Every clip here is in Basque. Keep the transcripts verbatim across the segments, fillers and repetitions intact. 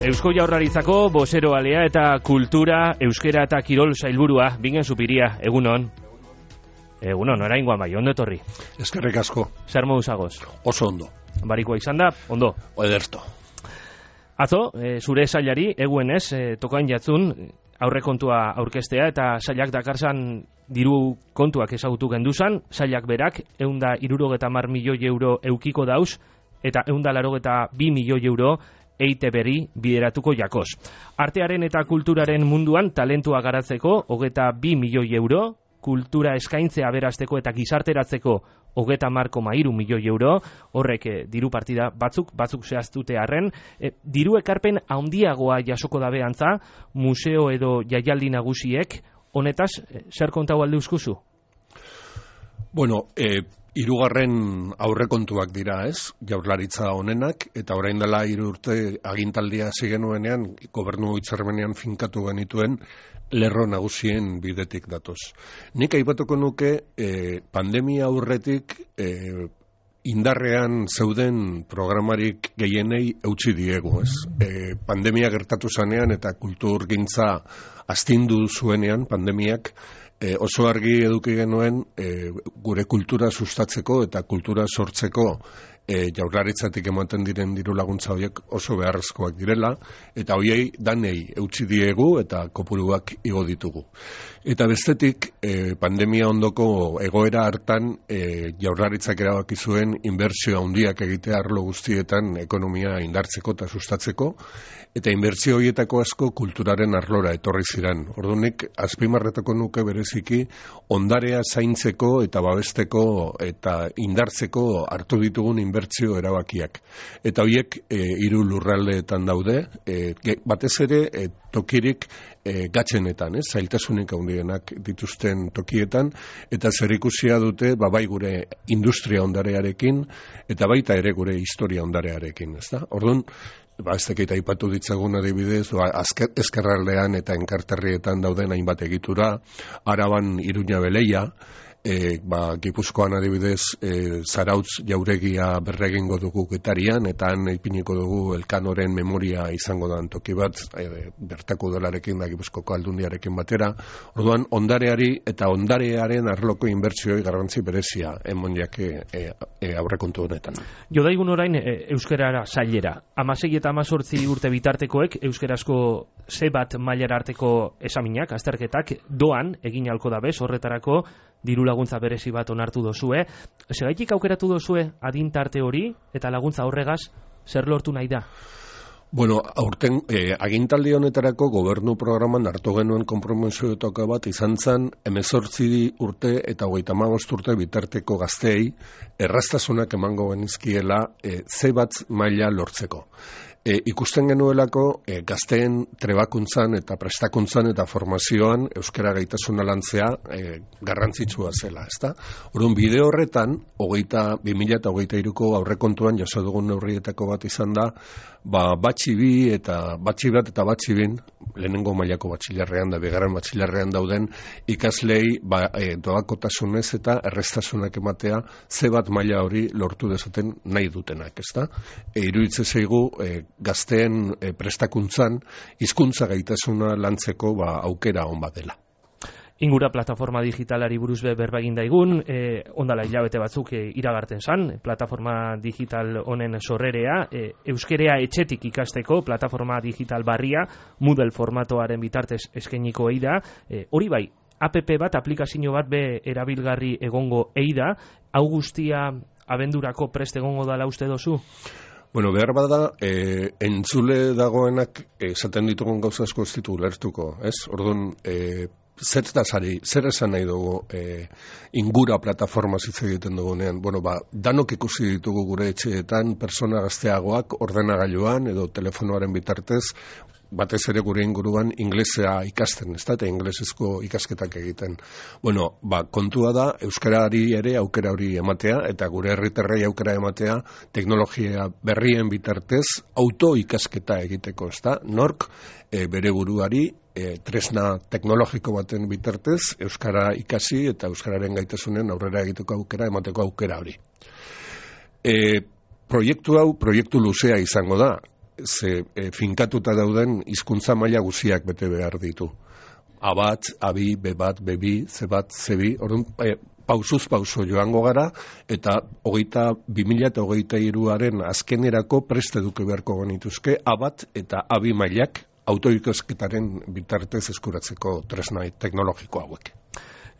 Eusko Jaurlaritzako bozeroalea eta kultura, euskera eta kirol sailburua, Bingen Zupiria, egunon. Egunon, oraingoan bai, ondo etorri. Eskerrik asko. Zer modu zagoz? Oso ondo. Barikoa izan da, ondo. Ederto. Atzo, e, zure sailari, eguenez, e, tokain jatzun, aurrekontua aurkeztea eta sailak dakarsan diru kontuak ezagutu genduzan, sailak berak, eunda irurogeta mar milioi euro eukiko dauz, eta eunda larogeta bi milioi euro E I T B-ri bideratuko jakoz. Artearen eta kulturaren munduan talentua garatzeko hogeta bi milioi euro, kultura eskaintzea aberasteko eta gizarteratzeko hogeta mar koma hiru milioi euro, horrek e, diru partida batzuk, batzuk zehaztute arren, e, diru ekarpen handiagoa jasoko dabe antza, museo edo jaialdi nagusiek, honetaz, e, zer kontau alde uzkuzu? Bueno, eh, hirugarren aurrekontuak dira, ez? Jaurlaritza honenak, eta orain dela hiru urte agintaldia hasi genuenean, gobernu hitzarmenean finkatu genituen lerro nagusien bidetik datoz. Nik aipatuko nuke eh, pandemia aurretik eh, indarrean zeuden programarik gehienei eutsi diegu, ez? E, pandemia gertatu zanean eta kulturgintza astindu zuenean pandemiak, E, oso argi eduki genuen e, gure kultura sustatzeko eta kultura sortzeko e, jaurlaritzatik ematen diren diru laguntza horiek oso beharrezkoak direla, eta hoiei danei eutsi diegu eta kopuruak igo ditugu. Eta bestetik, e, pandemia ondoko egoera hartan e, jaurlaritzak erabaki zuen inbertsio handiak egitea arlo guztietan ekonomia indartzeko eta sustatzeko, eta inbertsio horietako asko kulturaren arlora etorri ziren. Ordunik, azpimarretako nuke bereziki ondarea zaintzeko eta babesteko eta indartzeko hartu ditugun inbertsio erabakiak. Eta horiek e, hiru lurraldeetan daude, e, batez ere e, tokirik e, gatzenetan, ez? Zailtasunik handienak dituzten tokietan, eta zerikusia dute babai gure industria ondarearekin, eta baita ere gure historia ondarearekin, ezta? Orduan, ba, ez dakit aipatu ditzagun adibidez, ba, ezkerraldean eta enkarterrietan dauden hainbat egitura, Araban Iruña Beleia, e, ba, Gipuzkoan adibidez e, Zarautz jauregia berregingo dugu Getarian, eta han ipiniko dugu Elkanoren memoria izango da toki bat, e, bertako dolarekin da Gipuzkoko aldundiarekin batera. Orduan, ondareari eta ondarearen arloko inbertsioi garrantzi berezia emon jake e, e, aurrekontu honetan. Jodaigun orain e, euskerara sailera. Amasei eta amazortzi urte bitartekoek euskerazko ze bat mailara arteko esaminak, azterketak, doan egin halko dabez, horretarako diru laguntza berezi bat onartu dozue. Segaitik aukeratu dozue adintarte hori eta laguntza horregaz zer lortu nahi da? Bueno, aurten eh, agintaldi honetarako gobernu programan hartu genuen konpromisoetako bat izan zen hemezortzi urte eta hogeita hamabost urte bitarteko gazteei erraztasunak emango genizkiela eh, ze bat maila lortzeko. E, ikusten genuelako e, gazteen trebakuntzan eta prestakuntzan eta formazioan euskara gaitasuna lantzea e, garrantzitsua zela, ezta? Orduan bide horretan, hogeita, bi mila eta hogeita hiruko aurrekontuan jaso dugun neurrietako bat izan da, ba, batxi bi eta batxi bat eta batxi bin, lehenengo mailako batxilerrean da, bigarren batxilerrean dauden ikaslei ba, e, doakotasunez eta errestasunak ematea ze bat maila hori lortu dezaten nahi dutenak, ezta? E, iruditze zaigu e, gazteen e, prestakuntzan hizkuntza gaitasuna lantzeko ba, aukera on bat dela. Ingura plataforma digitalari buruz be berba egin daigun, e, ondala hilabete batzuk e, iragarten zan, plataforma digital honen sorrerea, e, euskerea etxetik ikasteko plataforma digital barria, Moodle formatoaren bitartez eskainiko eida, e, hori bai, app bat, aplikazio bat be erabilgarri egongo eida, hau guztia abendurako prest egongo dala uste dozu? Bueno, behar bada, e, entzule dagoenak esaten ditugun gauza asko ez ditu lertuko, ez? Orduan, e, zer da sari, zer esan nahi dugu e, ingura plataforma hitz egiten dugunean. Bueno, ba, danok ikusi ditugu gure etxeetan, persona gazteagoak ordenagailuan edo telefonoaren bitartez, batez ere gure inguruan inglesea ikasten, ez da, eta inglesezko ikasketak egiten. Bueno, ba, kontua da, euskarari ere aukera hori ematea, eta gure herritarrei aukera ematea, teknologia berrien bitartez, auto ikasketa egiteko, ez da, nork e, bere buruari, e, tresna teknologiko baten bitartez, euskara ikasi eta euskararen gaitasunen aurrera egiteko aukera, emateko aukera hori. E, proiektu hau, proiektu luzea izango da, ze e, finkatuta dauden hizkuntza maila guziak bete behar ditu. A bat, A bi, B bat, B bi, C bat, C bi, orduan, e, pausuz pauso joango gara, eta hogeita, bi mila eta hogeita hiruaren azkenerako prest eduki beharko genituzke A bat eta A bi mailak autoikosketaren bitartez eskuratzeko tresna teknologiko hauek.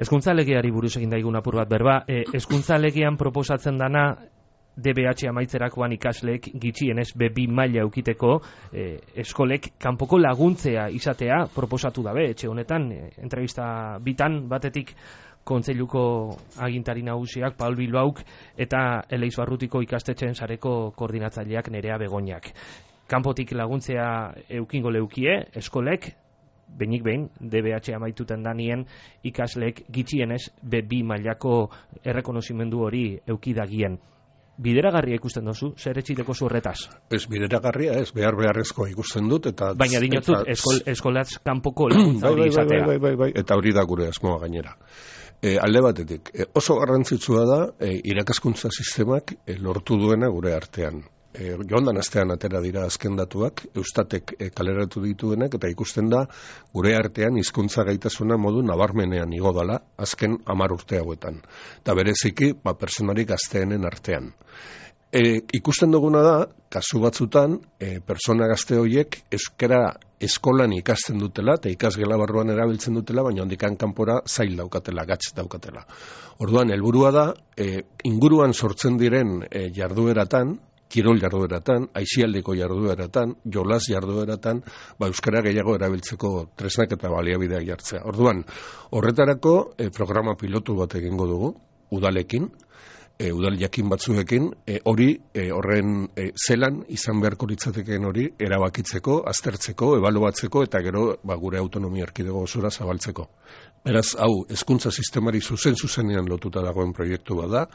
Hezkuntza legeari buruz egin daigun apur bat berba, e, hezkuntza legean proposatzen dana D B H amaitzerakoan ikasleek gitxienez B bi maila eukiteko e, eskolek kanpoko laguntzea izatea proposatu dabe, etxe honetan, e, entrevista bitan batetik Kontseiluko agintari nagusiak Paul Bilbauk eta Eleiz Barrutiko ikastetxeen sareko koordinatzaileak Nerea Begoñak. Kanpotik laguntzea eukingo leukie, eskolek, benik behin, D B H amaituten danien ikasleek gitxienez B bi mailako errekonozimendu hori eukidagien. Bideragarria ikusten dozu, zer etxiteko zurretaz? Ez bideragarria, ez behar beharrezkoa ikusten dut. Eta, baina dinotzut, eta, eskol, eskolatz kanpoko laguntza hori izatea. Bai, bai, bai, bai, eta hori da gure asmoa gainera. E, alde batetik, e, oso garrantzitsua da e, irakaskuntza sistemak e, lortu duena gure artean. E, joan dan astean atera dira azken datuak, Eustatek e, kaleratu dituenak, eta ikusten da gure artean hizkuntza gaitasuna modu nabarmenean igo dala azken hamar urte hauetan. Eta bereziki, ba, personarik gazteenen artean. E, ikusten duguna da, kasu batzutan, e, persona gazte horiek euskara eskolan ikasten dutela, eta ikasgela barruan erabiltzen dutela, baina ondikan kanpora zail daukatela, gatz daukatela. Orduan, helburua da, e, inguruan sortzen diren e, jardueratan, kirol jardueratan, aisialdiko jardueratan, jolas jardueratan, ba, euskara gehiago erabiltzeko tresnak eta baliabideak jartzea. Orduan, horretarako e, programa pilotu bat egingo dugu, udalekin, E, udal jakin batzuekin, e, hori e, horren e, zelan izan beharko litzatekeen hori erabakitzeko, aztertzeko, ebaluatzeko eta gero ba, gure autonomia erkidego osora zabaltzeko. Beraz, hau, hezkuntza sistemari zuzen zuzenean lotuta dagoen proiektu bada,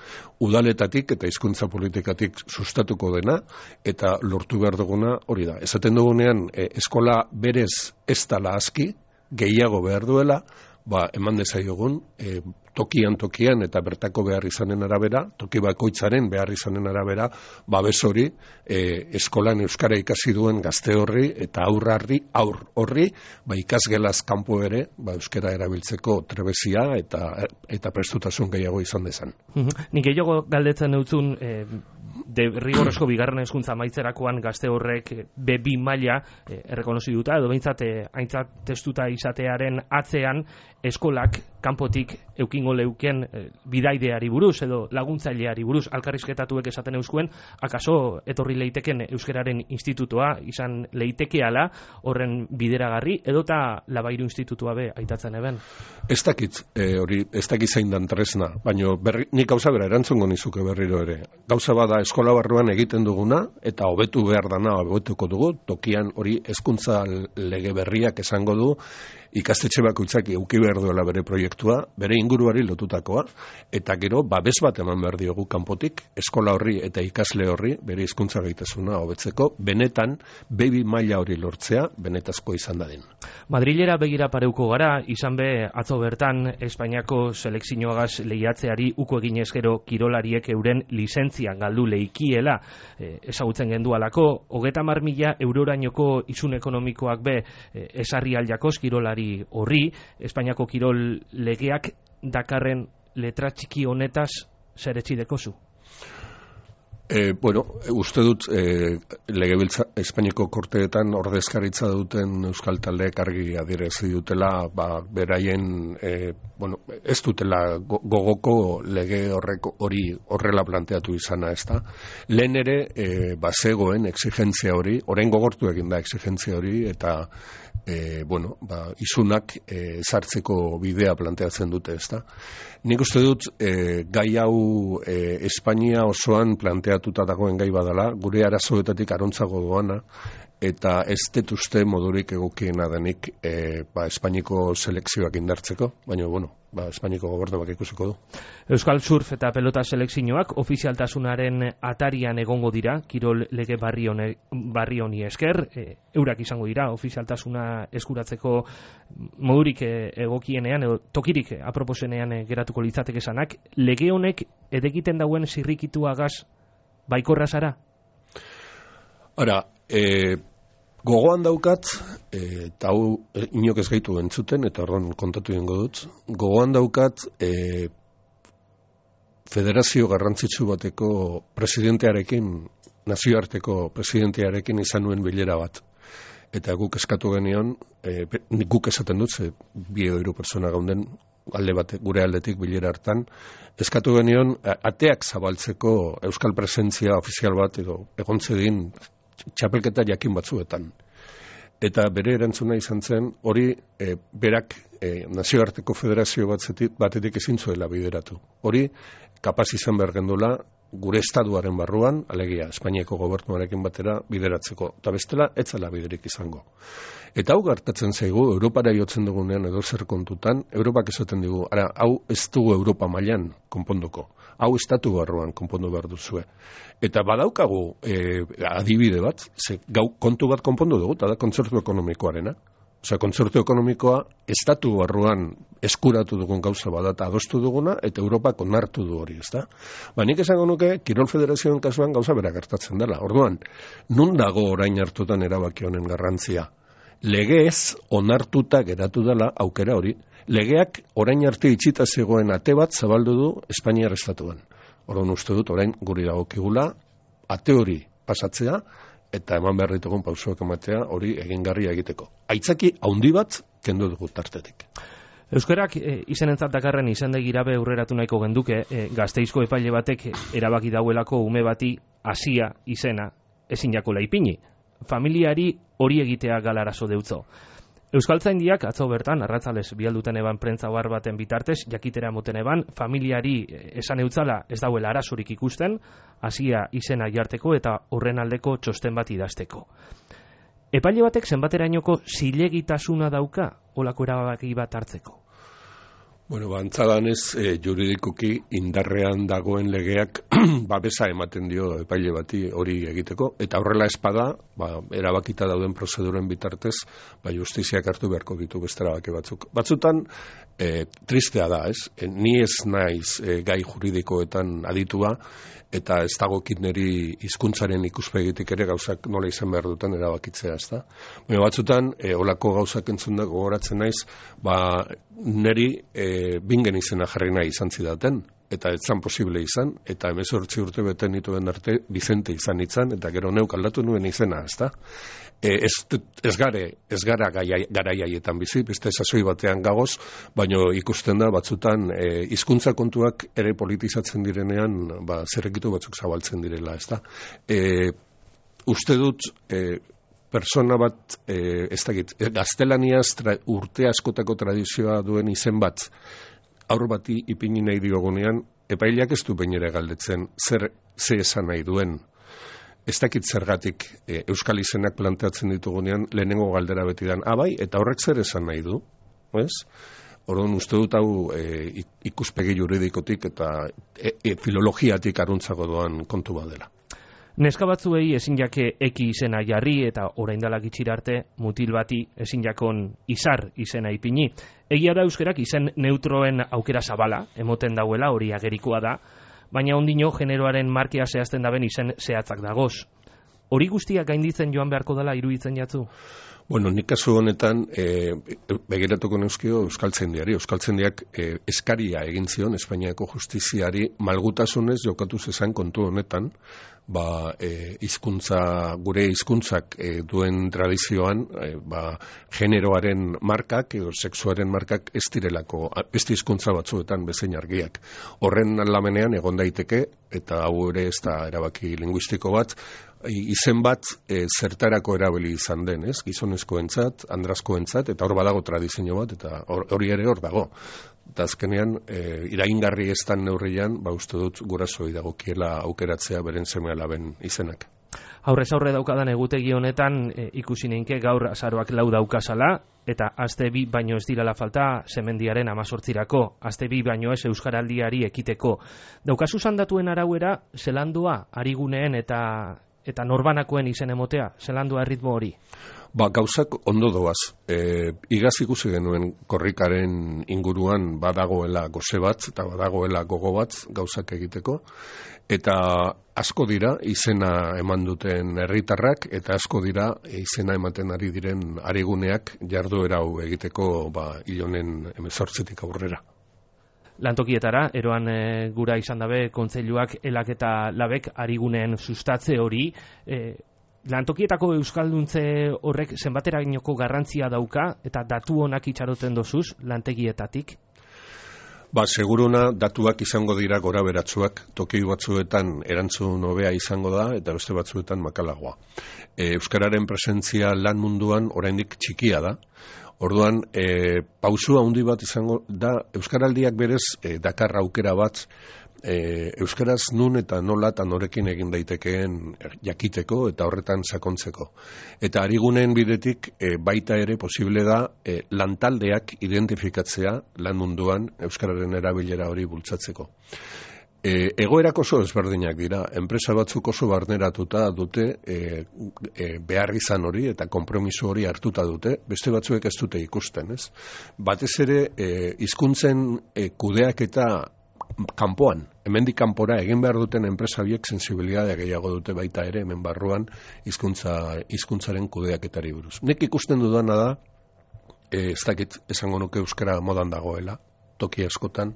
udaletatik eta hizkuntza politikatik sustatuko dena eta lortu behar duguna hori da. Esaten dugunean, e, eskola berez ez dala aski, gehiago behar duela, ba, eman dezaiogun, e, tokian tokian eta bertako behar izanen arabera, toki bakoitzaren behar izanen arabera, babes hori, e, eskolan euskara ikasi duen gazte horri eta aurrarri, aur horri, ba, ikasgelaz kanpo ere, ba, euskara erabiltzeko trebezia eta eta prestutasun gehiago izan dezan. Nik gehiago galdetzen eutzun, e, de rigorozko bigarren hezkuntza amaitzerakoan gazte horrek B bi maila e, errekonozi duta, edo behintzat e, aintzat testuta izatearen atzean eskolak kanpotik eukingo leuken e, bidaideari buruz edo laguntzaileari buruz alkarrizketatuek esaten euskuen, akaso etorri leiteken euskeraren institutoa izan leitekeala horren bideragarri edota Labairu institutua be aitatzen eben? Ez dakit, e, hori, ez dakit zein dan tresna, baina berri, nik gauza bera erantzungo nizuke berriro ere. Gauza bada eskola barruan egiten duguna eta hobetu behar dana hobetuko dugu, tokian hori hezkuntza lege berriak esango du, ikastetxe bakoitzak eduki behar duela bere proiektua, bere inguruari lotutakoa, eta gero babes bat eman behar diogu kanpotik, eskola horri eta ikasle horri bere hizkuntza gaitasuna hobetzeko, benetan B bi maila hori lortzea, benetazko izan dadin. Madrilera begira pareuko gara, izan be atzo bertan Espainiako selekzioagaz lehiatzeari uko egin ezkero kirolariek euren lizentzian galdu leikiela e, ezagutzen gendualako, hogeta mar mila eurorainoko isun ekonomikoak be e, esarri aldiakoz kirolari horri, Espainiako kirol legeak dakarren letra txiki honetaz zer etxideko zu? E, bueno, uste dut e, legebiltza Espainiako korteetan ordezkaritza duten euskal taldeek argi adierazi dutela, ba, beraien e, bueno, ez dutela gogoko lege horrek hori horrela planteatu izana, ezta. Lehen ere e, bazegoen exigentzia hori, orain gogortu egin da exigentzia hori eta E, bueno, ba, isunak e, sartzeko bidea planteatzen dute, ezta. Nik uste dut e, gai hau e, Espainia osoan planteatuta dagoen gai badala, gure arazoetatik arontzago doana, eta ez dut uste modurik egokiena denik e, ba, Espainiko selekzioak indartzeko, baina, bueno, ba, Espainiko gobernuak ikusiko du. Euskal Surf eta Pelota selekzioak ofizialtasunaren atarian egongo dira, kirol lege barri honi, barri honi esker, e, eurak izango dira ofizialtasuna eskuratzeko modurik e, egokienean, edo tokirik e, aproposenean e, geratuko litzateke esanak, lege honek edekiten dauen zirrikituagaz baikorra zara? Ara, e, gogoan daukat, eta hau inok ez gaitu entzuten, eta orduan kontatu ingo dut, gogoan daukat e, federazio garrantzitsu bateko presidentearekin, nazioarteko presidentearekin izan nuen bilera bat. Eta guk eskatu genion, e, guk esaten dut, ze bi edo hiru pertsona gaunden alde bate, gure aldetik bilera hartan, eskatu genion ateak zabaltzeko euskal presentzia ofizial bat edo egontzedin txapelketa jakin batzuetan. Eta bere erantzuna izan zen, hori e, berak e, nazioarteko federazio batzetik, batetik ezin zuela bideratu. Hori kapaz izan behar gendula gure estatuaren barruan, alegia Espainiako gobernuarekin batera bideratzeko. Eta bestela, etzala biderik izango. Eta hau gertatzen zaigu, Europara jotzen dugunean edo zer kontutan, Europak esaten digu, ara, hau ez dugu Europa mailan konponduko. Hau estatu barruan konpondu behar duzue. Eta badaukagu e, adibide bat, ze, gau, kontu bat konpondu dugu, eta da kontzertu ekonomikoarena. Osea, kontzertu ekonomikoa estatu barruan eskuratu dugun gauza badata adostu duguna, eta Europak onartu du hori, ezta? Ba, nik esango nuke, Kirol Federazioen kasuan gauza bera gertatzen dela. Orduan, nun dago orain hartutan erabaki honen garrantzia? Legez onartuta geratu dela aukera hori. Legeak orain arte itxita zegoen ate bat zabaldu du Espainiar estatuan. Orduan uste dut orain guri dagokigula ate hori pasatzea eta eman behar ditugun pausoak ematea hori egingarria egiteko. Aitzaki handi bat kendu dugu tartetik. Euskarak e, izenentzat dakarren izendegirabe aurreratu nahiko genduke, e, Gasteizko epaile batek erabaki dauelako ume bati Asia izena ezin jakola ipini. Familiari hori egitea galarazo deutzo. Euskaltzaindiak atzo bertan, arratzalez bialduten eban prentza ohar baten bitartez, jakitera moten eban, familiari esan eutzala ez dauela arazorik ikusten, Asia izena jarteko eta horren aldeko txosten bat idazteko. Epaile batek zenbaterainoko zilegitasuna dauka olako erabaki bat hartzeko? Bueno, bantzadanez, e, juridikoki indarrean dagoen legeak babesa ematen dio epaile bati hori egiteko, eta horrela espada, ba, erabakita dauden prozeduren bitartez, ba, justiziak hartu beharko ditu beste erabaki batzuk. Batzutan, e, tristea da, ez? E, ni ez naiz e, gai juridikoetan aditua, eta ez dagokit niri hizkuntzaren ikuspegitik ere gauzak nola izan behar duten erabakitzea, ez da? Baina batzutan, e, olako gauzak entzun da gogoratzen naiz, ba, niri e, bingen izena jarri nahi izan zidaten, eta ez zan posible izan, eta hemezortzi urte beten nituen arte Bizente izan itzan, eta gero neuk aldatu nuen izena, ez da? E, ez, ez, gare, ez gara garaiaietan bizi, beste sasoi batean gagoz, baino ikusten da batzutan e, hizkuntza kontuak ere politizatzen direnean, ba, zerrekitu batzuk zabaltzen direla, ez da? E, uste dut, e, persona bat, e, ez dakit, gaztelaniaz tra, urte askotako tradizioa duen izen bat, aur bati ipini nahi diogunean, epaileak ez du bainera galdetzen, zer ze esan nahi duen. Ez dakit zergatik e, euskal izenak planteatzen ditugunean, lehenengo galdera beti dan, abai, eta horrek zer esan nahi du, ez? Orduan uste dut hau e, ikuspegi juridikotik eta e, e, filologiatik aruntzago doan kontu badela. Neska batzuei ezin jake eki izena jarri eta oraindalak itxira arte mutil bati ezin jakon izar izena ipini. Egia da euskerak izen neutroen aukera zabala, emoten dauela hori agerikoa da, baina ondino generoaren markea zehazten daben izen zehatzak dagoz. Hori guztiak gainditzen joan beharko dela iruditzen jatzu? Bueno, nik kasu honetan, e, begiratuko neuzkio Euskaltzaindiari. Euskaltzaindiak e, eskaria egin zion Espainiako justiziari malgutasunez jokatu zezan kontu honetan, ba, e, hizkuntza, gure hizkuntzak e, duen tradizioan, e, ba, generoaren markak edo sexuaren markak ez direlako, beste hizkuntza batzuetan bezain argiak. Horren lamenean egon daiteke, eta hau ere ez da erabaki linguistiko bat, izen bat e, zertarako erabili izan den, ez? Gizonezkoentzat, andrazkoentzat, eta hor badago tradizio bat, eta hori ere hor dago. Eta azkenean, e, iraingarri ez dan neurrian, ba uste dut gurasoi dagokiela aukeratzea beren seme alaben izenak. Aurrez aurre daukadan egutegi honetan e, ikusi neinke gaur azaroak lau daukazala, eta aste bi baino ez dirala falta semendiaren amazortzirako, aste bi baino ez euskaraldiari ekiteko. Daukazu zandatuen arauera, zelandua, ariguneen eta eta norbanakoen izen emotea, zelandua erritmo hori? Ba, gauzak ondo doaz. E, igaz ikusi genuen korrikaren inguruan badagoela goze bat, eta badagoela gogo bat gauzak egiteko, eta asko dira izena eman duten herritarrak, eta asko dira izena ematen ari diren ariguneak jarduera hau egiteko ba, hilonen hemezortzitik aurrera. Lantokietara, eroan e, gura izan dabe, kontseiluak elak eta labek ariguneen sustatze hori, e, lantokietako euskalduntze horrek zenbaterainoko garrantzia dauka eta datu honak itxaroten dozuz lantegietatik? Ba, seguruna datuak izango dira gora beratsuak, toki batzuetan erantzun hobea izango da eta beste batzuetan makalagoa. E, Euskararen presentzia lan munduan oraindik txikia da. Orduan, e, pausu handi bat izango da, euskaraldiak berez e, dakar aukera bat e, euskaraz nun eta nola eta norekin egin daitekeen jakiteko eta horretan sakontzeko. Eta arigunen bidetik e, baita ere posible da e, lantaldeak identifikatzea lan munduan euskararen erabilera hori bultzatzeko. E, egoerak oso ezberdinak dira, enpresa batzuk oso barneratuta dute e, e, behar izan hori eta konpromiso hori hartuta dute, beste batzuek ez dute ikusten, ez? Batez ere, e, hizkuntzen e, kudeak eta kanpoan, hemendik kanpora egin behar duten enpresa biek sensibilitatea gehiago dute baita ere hemen barruan hizkuntza hizkuntzaren kudeaketari buruz. Nik ikusten dudana da, e, ez dakit esango nuke euskara modan dagoela, toki askotan,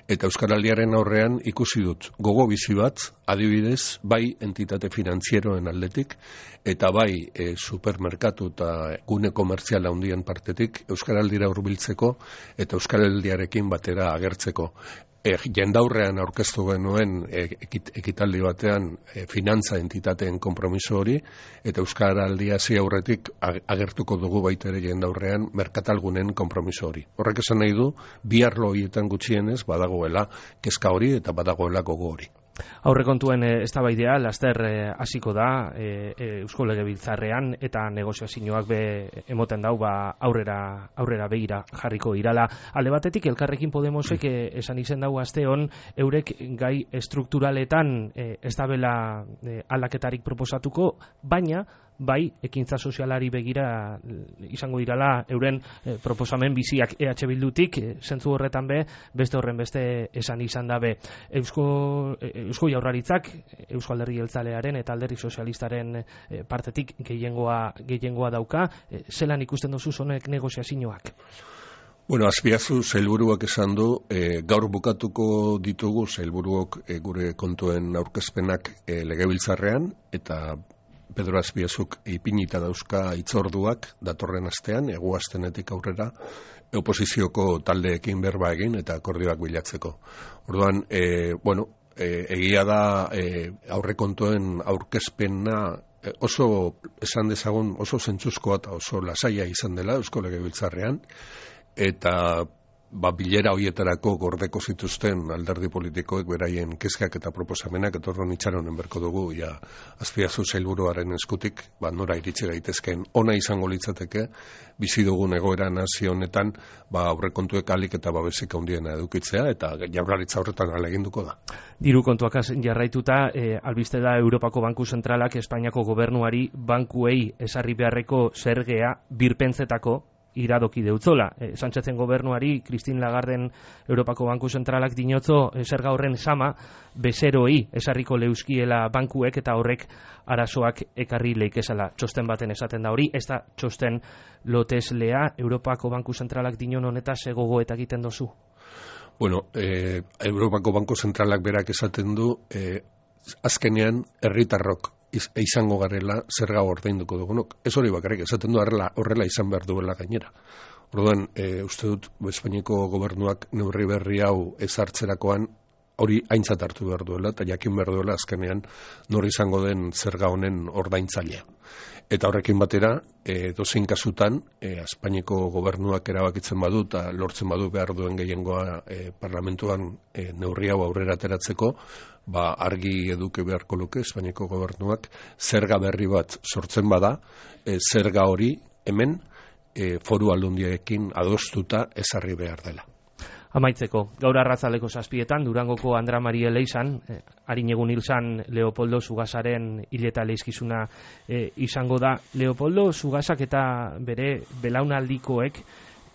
eta euskaraldiaren aurrean ikusi dut gogo bizi bat, adibidez, bai entitate finantzieroen aldetik, eta bai e, supermerkatu eta gune komertzial handien partetik euskaraldira hurbiltzeko eta euskaraldiarekin batera agertzeko. E, jendaurrean aurkeztu genuen e, ekit, ekitaldi batean e, finantza entitateen konpromiso hori, eta euskaraldia hasi aurretik agertuko dugu baita ere jendaurrean merkatalgunen konpromiso hori. Horrek esan nahi du, bi arlo horietan gutxienez badagoela kezka hori eta badagoela gogo hori. Aurrekontuen e, eztabaidea laster hasiko e, da e, e, Eusko Legebiltzarrean eta negoziazioak be emoten dau ba aurrera aurrera begira jarriko irala. Alde batetik Elkarrekin Podemosek e, esan izen dau asteon eurek gai estrukturaletan e, ez dabela e, aldaketarik proposatuko, baina bai ekintza sozialari begira izango dirala euren e, proposamen biziak E H Bildutik, e, zentzu horretan be beste horren beste esan izan dabe. Eusko e, Eusko Jaurlaritzak Eusko Alderdi Jeltzalearen eta Alderdi Sozialistaren e, partetik gehiengoa gehiengoa dauka, e, zelan ikusten duzu honek negoziazioak? Bueno, Azpiazu sailburuak esan du, e, gaur bukatuko ditugu sailburuok e, gure kontuen aurkezpenak e, Legebiltzarrean, eta Pedro Azpiazuk ipinita dauzka hitzorduak datorren astean, egu astenetik aurrera, oposizioko taldeekin berba egin eta akordioak bilatzeko. Orduan, e, bueno, e, egia da e, aurrekontuen aurkezpena e, oso, esan dezagun, oso zentzuzkoa eta oso lasaia izan dela Eusko Legebiltzarrean, eta ba, bilera hoietarako gordeko zituzten alderdi politikoek beraien kezkak eta proposamenak etorron itxaronen berko dugu, ja, Azpiazu sailburuaren eskutik, ba, nora iritsi gaitezken ona izango litzateke, bizi dugun egoera nazi honetan, ba, aurrekontuek alik eta babesik handiena edukitzea, eta Jaurlaritza horretan ahaleginduko da. Diru kontuak jarraituta, e, albiste da Europako Banku Zentralak Espainiako gobernuari bankuei esarri beharreko zergea birpentzetako iradoki deutzola. E, Sánchezen gobernuari, Christine Lagarden Europako Banku Zentralak dinotzo e, zerga horren sama bezeroi esarriko leuskiela bankuek eta horrek arazoak ekarri leikezala. Txosten baten esaten da hori, ez da txosten loteslea Europako Banku Zentralak dinon honeta zegogo eta egiten dozu? Bueno, eh, Europako Banku Zentralak berak esaten du, eh, azkenean herritarrok izango garela zerga ordainduko dugunok. Ez hori bakarrik, esaten du horrela, horrela izan behar duela gainera. Orduan, e, uste dut, Espainiako gobernuak neurri berri hau ezartzerakoan hori aintzat hartu behar duela, eta jakin behar duela azkenean nor izango den zerga honen ordaintzailea. Eta horrekin batera, e, dozein kasutan, e, Espainiako gobernuak erabakitzen badu eta lortzen badu behar duen gehiengoa e, parlamentuan e, neurri hau aurrera ateratzeko, ba, argi eduke beharko luke Espainiako gobernuak zerga berri bat sortzen bada, e, zerga hori hemen e, foru aldundiekin adostuta ezarri behar dela. Amaitzeko, gaur arratzaleko zazpietan, Durangoko Andra Marie Leizan, eh, harin egun hilzan Leopoldo Zugazaren hileta leizkizuna eh, izango da. Leopoldo Zugazak eta bere belaunaldikoek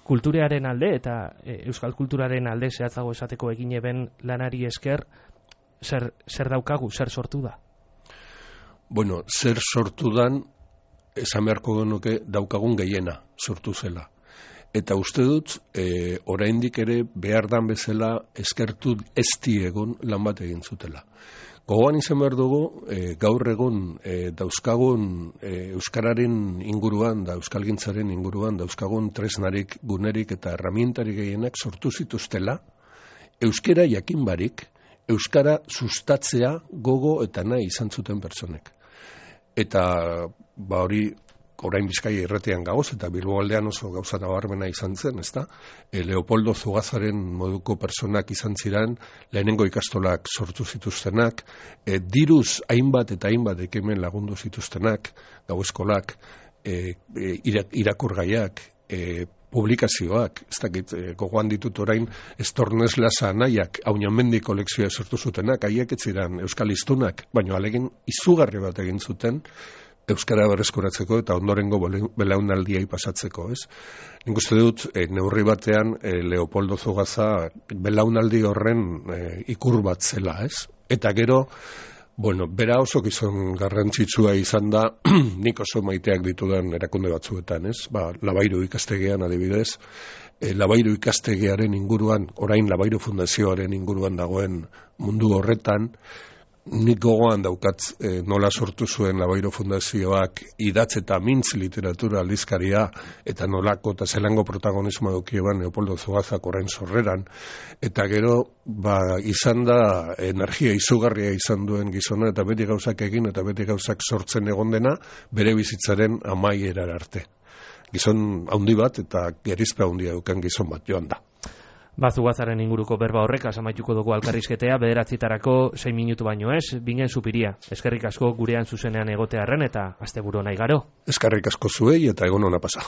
kulturaren alde eta eh, euskal kulturaren alde zehatzago esateko egin eben lanari esker, zer, zer daukagu, zer sortu da? Bueno, zer sortu dan, esan beharko genuke daukagun gehiena sortu zela. Eta uste dut, e, oraindik ere behar dan bezala eskertu ezti egon lan bat egin zutela. Gogoan izan behar dugu, e, gaur egun e, dauzkagun e, euskararen inguruan, da euskalgintzaren inguruan, dauzkagun tresnarik, gunerik eta herramientarik gehienak sortu zituztela, euskara jakin barik, euskara sustatzea gogo eta nahi izan zuten pertsonek. Eta ba hori, orain Bizkaia irratian gagoz, eta Bilbo aldean oso gauza nabarmena izan zen, ezta? E, Leopoldo Zugazaren moduko personak izan ziren, lehenengo ikastolak sortu zituztenak, e, diruz hainbat eta hainbat ekimen lagundu zituztenak, gau eskolak, e, e, irakurgaiak, e, publikazioak, ez dakit, e, gogoan ditut orain, Estornes Lasa Anaiak, Aunamendi kolekzioa sortu zutenak, haiek ez ziren euskal hiztunak, baina alegin izugarri bat egin zuten, euskara berreskuratzeko eta ondorengo belaunaldiai pasatzeko, ez? Nik uste dut, e, neurri batean, e, Leopoldo Zugaza belaunaldi horren e, ikur bat zela, ez? Eta gero, bueno, bera oso gizon garrantzitsua izan da, nik oso maiteak ditudan erakunde batzuetan, ez? Ba, Labairu ikastegean adibidez, e, Labairu ikastegearen inguruan, orain Labairu Fundazioaren inguruan dagoen mundu horretan, nik gogoan daukat e, nola sortu zuen Labairu Fundazioak idatz eta mintz literatura aldizkaria eta nolako eta zelango protagonismo dukieban Leopoldo Zugazak orain sorreran, eta gero ba, izan da energia izugarria izan duen gizona eta beti gauzak egin eta beti gauzak sortzen egon dena bere bizitzaren amaierar arte. Gizon handi bat eta gerizpe handia dukan gizon bat joan da. Ba, Zugazaren inguruko berba horrek amaituko dugu elkarrizketea, bederatzitarako sei minutu baino ez, Bingen Zupiria. Eskerrik asko gurean zuzenean egotearren eta asteburu nahi garo. Eskerrik asko zuei eta egon ona pasa.